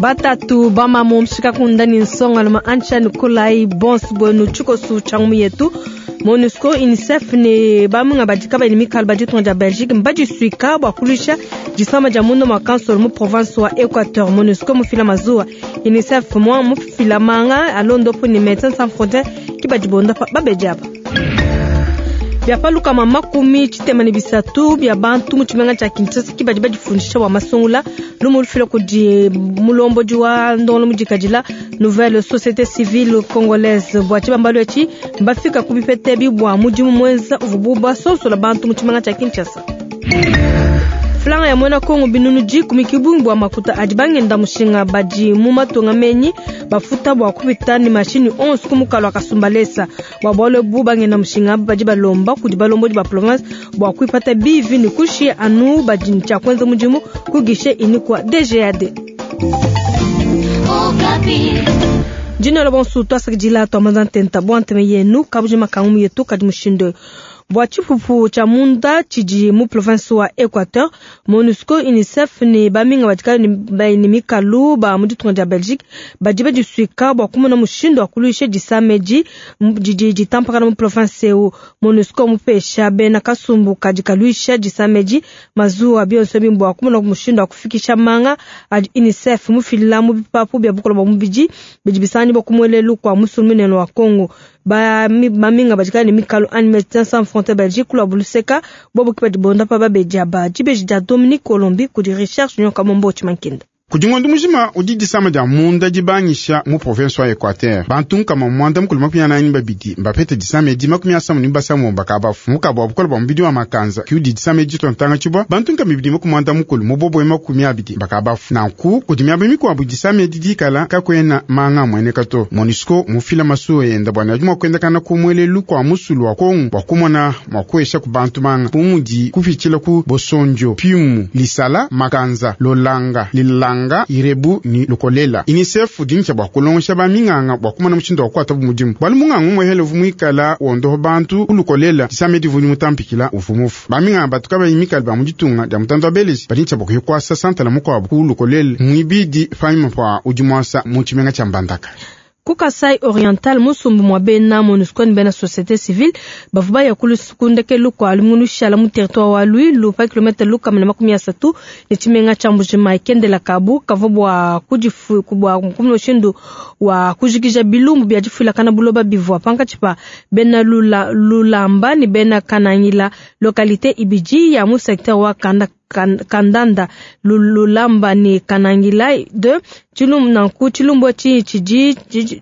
Batatu bamamu mshikakunda ni nsongaluma ancha nikolayi bonso bwenu tshikosu tshia ngumu yetu. Monusco, UNICEF ne bamunga badi kabayi ne mikalu ba ditunga dia Belgique mbadisuika bua kuluisha disama dia munda mua kansolo mu province wa Equateur. Monusco mufila mazuwa, UNICEF mua mufila manga alondopo ne Medecins Sans Frontieres ki badi bondapa babedi aba. Bia pa 303 bia bantu mu tshimenga tshia Kinshasa ki badi badifundisha bua masungula. Lumu lufila kudi mulombodi wa ndongolo mudikadila Nouvelle Société Civile Congolaise. Bua tshibambalu etshi mbafika ku bipeta ebi bua mudimu muenza uvubu basonsola bantu mu tshimenga tshia Kinshasa. Franga ya muena Kongo 10,000 ki bungi bua makuta adi bangenda mushinga badi mu matunga menyi bafuta bua kupita ne mashinyi onso ku mukalu wa Kasumbalesa. Bua bualu ebu bangenda mushinga badi balomba kudi balombodi ba province bua kuipata bivi ne kushiya anu badi ne tshia kuenza mudimu ku guichet unique wa DGAD. Dinola bonso tuasakidila tuamaza ntenta bua ntema yenu kabujima kangumu yetu kadi mushindu bua tshipupu tshia munda tshidi mu province wa Equateur. Monusco, UNICEF ne baminga badi kabayi ne mikalu ba mu ditunga dia Belgique badi badisuika bua kumona mushindu wa kuluisha disama edi didi ditampakana mu province eu. Monusco mupesha bena kasumbu kadi kaluisha disama edi mazuwa bionso ebi bua kumona mushindu wa kufikisha manga adi UNICEF mufila mu bipapu bia bukole bua mubidi bidi bisanganyibua ku muelelu kua musulu munene wa Congo. Baminga badi kabayi ne mikalu anyi Medecins Sans Frontières Belgique kuluabu luseka bobo ki badi bondapa babedi aba. Dibeji dia Dominique Colombi kudi Richard Junior Kamombo Tshimankinda. Kudi ngondo mujima udi disama dia munda dibangisha mu province wa Equateur. Bantu 142 mbapete disama edi, 53 bakabafu. Mukabu wa bukole bua mubidi wa makanza ki udi disama edi dituantanga tshibua. Bantu 280 mu bobo 20 bakabafu. Nanku kudi miaba mikuabu disama edi dikala kakuena manga amueneka to. Monusco mufila masuwa enda bua ne adi mua kuendakana ku muelelu kua musulu wa Kongo bua kumona mua kuesha ku bantu manga bu mudi kupitshila ku Bosondio, Piumu, Lisala, Makanza, Lolanga, Lilanga, Irebu ni Lukolela. UNICEF udi ntsha bua kulongesha ba minganga bua kumona mushindu wa kukuata bu mudimu. Bualu munganga umuehele uvua muikala wondoha bantu ku Lukolela, disama edi uvua mutampikila uvua mufu. Ba minganga batu kabayi mikale ba mu ditunga dia mutanda wa Belesi badi ntsha bua kuya kuasa santala mukuabu ku Lukolela muibidi panyima pa udi muasa mu tshimenga tshia Mbandaka. Ku Kasai Oriental, musumbu mua bena Monusco ne bena societe civile bavua baya ku ndekelu kua lumingu lushala mu territoire wa Luilu pa kilomètre 130 ne tshimenga tshia Mbuji-Mayi. Kendela kabu kavua bua bua kumona mushindu wa kujikija bilumbu bia difuilakana buloba bivua pankatshi pa bena Lula, Lulamba ne bena Kanangila, localité ibidi ya mu secteur wa Kanda Kandanda, Lulamba ne Kanangila 2. Tshilumbu nanku tshilumbu etshi tshidi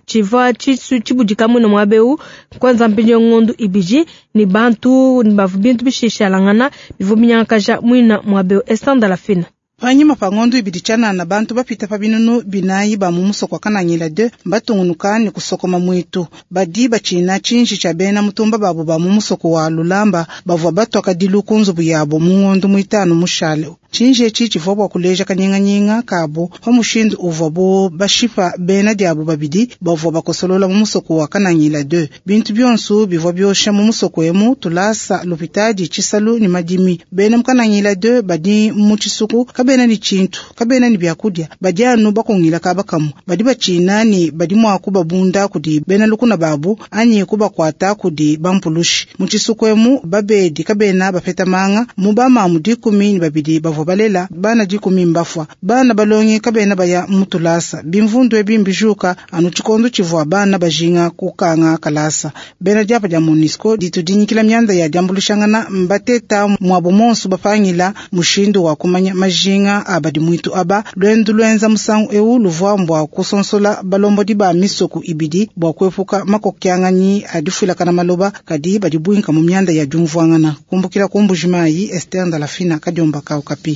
tshivua tshibudika muine muaba eu kuenza mpindieu ngondu ibidi ne bantu bavua bintu bishishalangana bivua binyangakaja muine muaba eu. Esther Ndalafina. Panyima pa ngondo ibidi tshianana, bantu bapita pa 4000 ba mu musoko wa Kanangila 2 mbatungunuka ne kusokoma muitu. Badi batshina tshinji tshia bena mutumba babu ba mu musoko wa Lulamba bavua batua kadilu ku nzubu yabo mu ngondo muitanu mushale. Tshinji etshi tshivua bua kuleja kanyinganyinga kabu pa mushindu uvuabu bashipa bena diabu babidi bavua bakosolola mu musoko wa Kanangila 2. Bintu bionso bivua biosha mu musoko emu, tulasa, lupitadi, tshisalu ne madimi. Bena mu Kanangila 2 badi mu tshisuku kabena ne tshintu, kabena ne biakudia, badi anu bakungila kaba kamue. Badi batshina ne badi mua kubabunda kudi bena lukuna babu anyi kubakuata kudi bampulushi. Mu tshisuku emu babedi kabena bapeta manga, mu bamamu 12 bavua balela bana 10 mbafua. Bana balongi kabena baya mu tulasa. Bimvundu ebi mbijuka anu tshikondo tshivua bana bajinga kukanga kalasa. Bena diapa dia Monusco ditu dinyikila mianda ya diambuluishangana mbateta muabu monso bapangila mushindu wa kumanya majinga a badi muitu aba. Luendu luenza musangu eu luvua mbua kusonsola balombodi ba misoko ibidi bua kuepuka makokianganyi a difuilakana maloba kadi badi buinka mu mianda ya diumvuangana. Kumbukila ku Mbuji-Mayi, Esther Ndalafina, Kadiomba ka Okapi.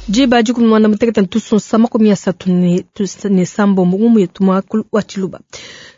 Diba 16 tusonsa 36 ngumu yetu mwakulu wa Tshiluba.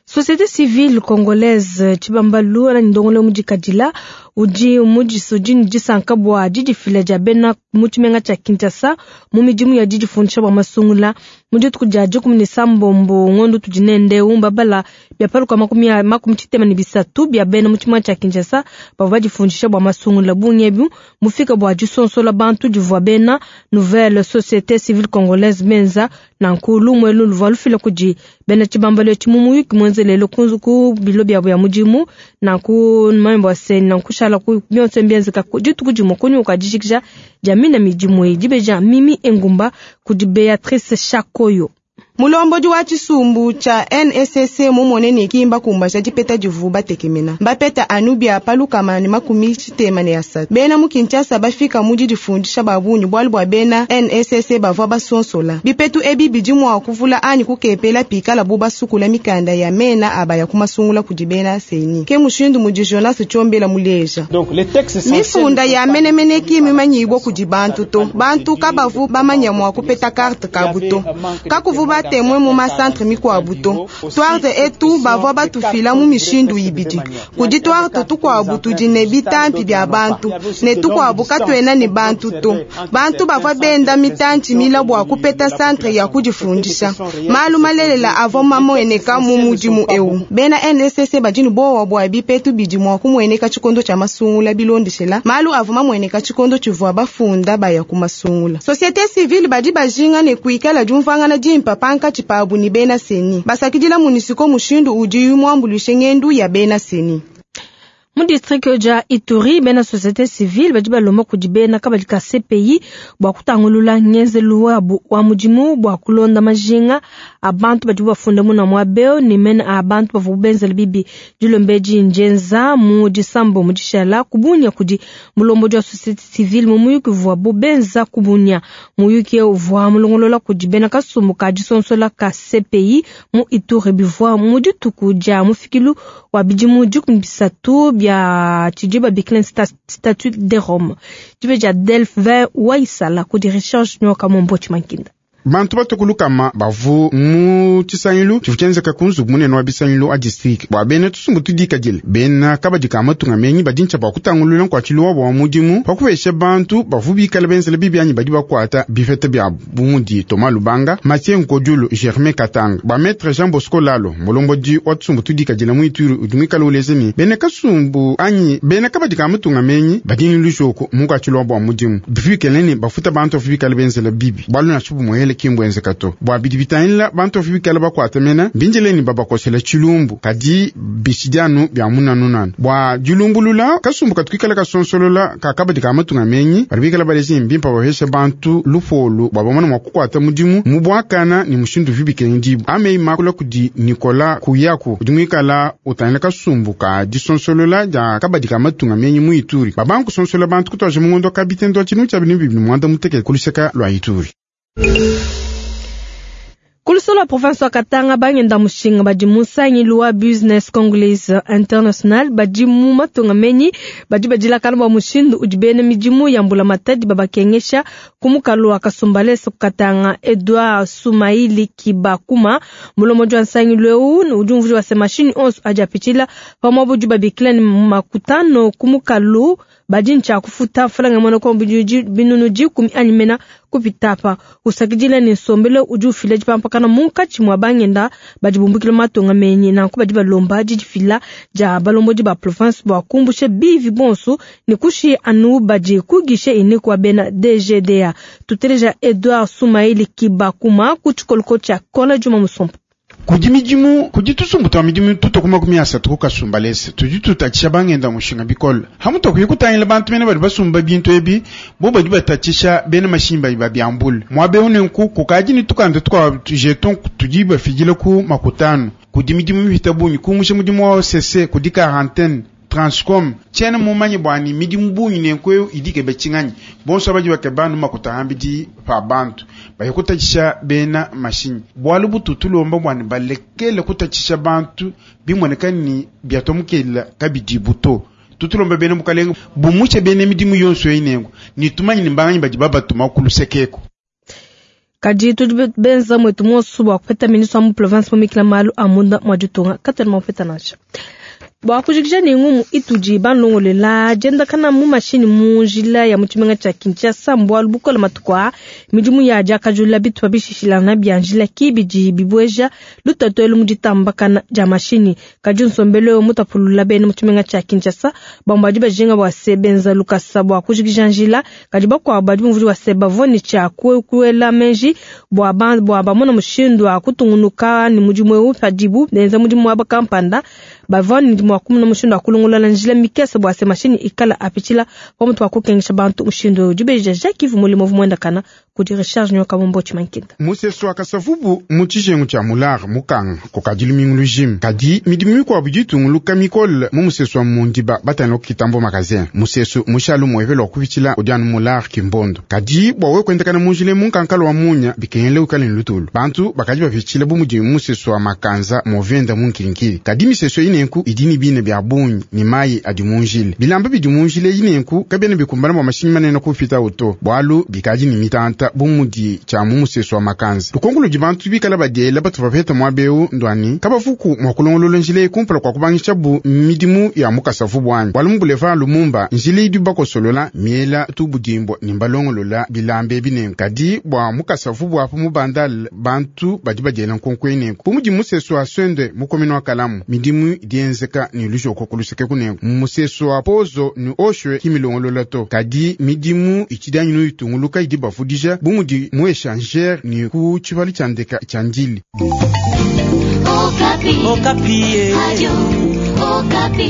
Société civile congolaise tshibambalu ana ndongolo mudikadila udi mudisudi ne disanka bua didifila dia bena mu tshimenga tshia Kinshasa mu midimu ya didifundisha bua masungula mu dituku dia 17 ngondo tudi nende mbabala Bia paluka 33 bia bena mu tshimenga tshia Kinshasa bavua badifundisha bua masungula. Bungi ebu mufika bua disonsola bantu divua bena Nouvelle Société Civile Congolaise benza. Nanku lumu elu luvua lufila kudi bena tshibambalu etshi mu muyuki muenze lelo ku bilo biabu ya mudimu. Nanku numanye bua se nanku shala ku bionso mbienzeka dituku dimue kunyima kua dijikija dia mina midimu eyi. Dibeja Mimi Engumba kudi Beatrice Shakoyo. Mulombodi wa tshisumbu tshia NSCC mumone ne kimba kumbaja dipeta divu batekemena. Bapeta anu bia pa 63. Bena mu Kinshasa bafika mu didifundisha ba bungi bualu bua bena NSCC bavua basonsola. Bipetu ebi bidi mua kuvula anyi kukepela pikala bu basukula mikanda ya mena abaya kumasungula kudi bena CENI. Ke mushindu mudi Jonas Tshiombela muleja. Mifunda ya menemene ki mimanyibwa kudi bantu to. Bantu kabavu bamanya mua kupeta carte kabu to. Kakuvu batemwe mu masantre mikwabu to. Twarte etu bavua batufila mu mishindu ibidi. Kudi twarte tukwabu tudi ne bitampi bia bantu ne tukwabu katwena ne bantu to. Bantu bavua benda mitanchi mila bua kupeta santre ya kudifundisha. Malu malelela avua mamueneka mu mudimu eu. Bena NSC badi ne bowa bua bipetu bidi mua kumueneka tshikondo tshia masungula bilondeshela. Malu avua mamueneka tshikondo tshivua bafunda baya ku masungula. Société civile badi bajinga ne kuikala diumvuangana dimpa pankatshi pabu ne bena CENI. Basakidila MONUSCO mushindu udi muambuluishe ngendu ya bena CENI. Mu district dia Ituri, bena société civile badi balomba kudi bena kabadi ka CPI bua kutangulula ngenzelu wabu wa mudimu bua kulonda majinga a bantu badi bafunda muna muabeo ne mena a bantu bavua benzela bibi. Dilomba edi njenza mu disambo mu dishala kubunya kudi mulombodi wa société civile mu muyuki uvuabu benza kubunya. Muyuki uvua mulongolola kudi bena kasumbu ka disonsola ka CPI mu Ituri bivua mu dituku dia mufikilu wa bidimu 13 bia tshidi babikila statut de Rome. Dibe dia Delphin Waisala kudi Richard Nyoka Mombo Chimankinda. Bantu batokulukama bavu mu tshisangilu tshivu tshienzeka ku nzubu munene wa bisangilu a district bua bena tusumbu tudikadile bena kabadi ka matunga menyi badi ntshia bua kutangulula nkuatshilu wabo wa mudimu pa kupesha bantu bavu bikala benzela bibi anyi badi bakuata bipeta biabu bu mudi Thomas Lubanga, Mathieu Nkodiulu, Germain Katanga. Bua Maître Jean Bosco Lalo, mulombodi wa tusumbu tudikadile mu Ituri udi muikale uleja ne bena kasumbu anyi bena kabadi ka matunga menyi badi ne lujoku mu nkuatshilu wabo wa mudimu bivikele ne bafuta bantu bavu bikala benzela bibi bualu nansha bumuele kimbwenzeka to. Bua bidi bitangila bantu bavu bikala bakuata mena mbinjileni babakosela tshilumbu kadi bishidianu bia munanunanu bua dilumbulula kasumbu katuikala kasonsolola kakabadi ka matunga menyi badi bikala balezi mbimpa bahesha bantu lupolu bua bamona mua kukuata mudimu mu buakana ni mushindu vibikengi amei makula kudi Nicolas Kuyaku udi muikala utangila kasumbu ka disonsolola dia kabadi ka matunga menyi mu Ituri babanku sonsola bantu kutwaje mungondo kabitendo tshinu tshia binu bibi mwanda muteke kuluseka lwa Ituri. Kulusolo province wa Katanga bangenda mushinga badi musangilu wa Business Congolese International badi mu matunga menyi badi badilakana bua mushindu udi bena midimu ya mbula matadi babakengesha ku mukalu wa Kasumbalesa ku Katanga. Edouard Sumaili Kibakuma mulombodi wa nsangilu eu udi umvuija wa se mashini onso adi apitshila pamue budi babikila ne makutano ku mukalu badi ntshia kufuta mfalanga mwana kwa binunu 10 anyi mena kupitapa usakidila ne nsombelo udi ufila dipampakana munkatshi mwa bangenda badi bumbukila matunga menyi nanku badi balomba didifila dia balombodi ba province bua kumbusha bivi bonso ne kushi anu badi kugishe ine kwa bena DGDA. Tuteleja Edouard Sumaili Kibakuma ku tshikoloko tshia Kola Juma Musompo. Kudi midimu kudi tusumbu twa midimu tutokuma kumi asatu ku Kasumbalesa tudi tutatshisha bangenda mushinga bikole hamuto kuyikutangila bantu mene badi basumba bintu ebi bo badi batatshisha bena mashimba babyambula mwabe unenku kukaji ni tukanda tukwa jeton tudi bafijila ku makutano kudi midimu mihita bungi kumusha mudimu wa OCC kudi quarantaine Transcom tshiena mumanye bwani midimu bungi nenku idike bachinganyi bonso baji bakebanu makuta ambidi pa bantu bayikutatshisha bena mashinyi bwalu bututulomba bwani balekele kutatshisha bantu bimoneka ni biatomukela kabidi buto tutulomba bena mukalenga bumuche bena midimu yonso inengo ni tumanyi ni mbanganyi badi babatuma kulusekeko. Kadi tudi benza mwetu monso bua kupeta ministre wa mu province mumikila malu a munda mwa ditunga katwena mupeta nansha. Bua kujikija ne ngumu itudi banulongolela, diendakana mu mashinyi mu njila ya mu tshimenga tshia Kinshasa mbualu bukole matuku aa. Midimu ya diakajulula bitupa bishishilangana bia njila ki bidi bibueja lutatu elu mu ditambakana dia mashinyi. Kadi nsombelu eu mutapulula bena mu tshimenga tshia Kinshasa. Bamue badi bajinga bua se benza lukasa bua kujikija njila, kadi bakuabu badi bumvuija bua se bavua ne tshia kuela meji bua bua bamona mushindu wa kutungunuka ne mudimu eu padibu benza mudimu muaba kampanda. Bavua ne mua kumona mushindu wa kulongolola njila mikese bua se mashinyi ikala apitshila pamutu pa kukengesha bantu mushindu eu. Dibeji dia Jacques Yves Mulimo uvua muendakana kudi Richard Nyoka Mumbo Tshimankinda. Musesu wa Kasavubu mu tshijengu tshia Mular mukanga kukadi lumingu lujima, kadi midimu mikuabu idi itunguluka mikole mu musesu wa Mundiba batangila ku Kitambo Magazin. Musesu mushalu muepele wa kupitshila udi anu Mular Kimbondo, kadi bua wewe kuendakana mu njila mu nkankala wa munya bikengela wikale ne lutulu. Bantu bakadi bapitshila bu mudi musesu wa Makanza movenda mu Nkilikili, kadi misesu eyi nenku idi ne bina bia bungi ne mayi adi mu njila. Bilamba bidi mu njila eyi nenku kabiena bikumbana bua mashinyi manene kupitawu to, bualu bikadi ne mitanta bu mudi tshia mu musesu wa Makanza. Lukonko ludi bantu bikala badiela batu bapeta muaba eu nduani kabavuku mua kulongolola njila eyi kumpala kua kubangishabu midimu ya mu Kasavubu anyi? Bualu mu Boulevard Lumumba njila idi bakosolola miela tubudimbo ne mbalongolola bilamba ebi nenku, kadi bua mu Kasavubu apu mu Bandal bantu badi badiela nkonko eyi nenku bu mudi musesu wa Swende mu commune wa Kalamu midimu idi yenzeka ne lujoko ku luseke kunenku musesu wa Pozo ne Oshwe ki milongolola to, kadi midimu itshidi anyi nuyitunguluka idi bavudija bu mudi mu échangeur ne ku tshipalu tshia ndeka tshia Ndili. Okapi. Okapi. Radio Okapi.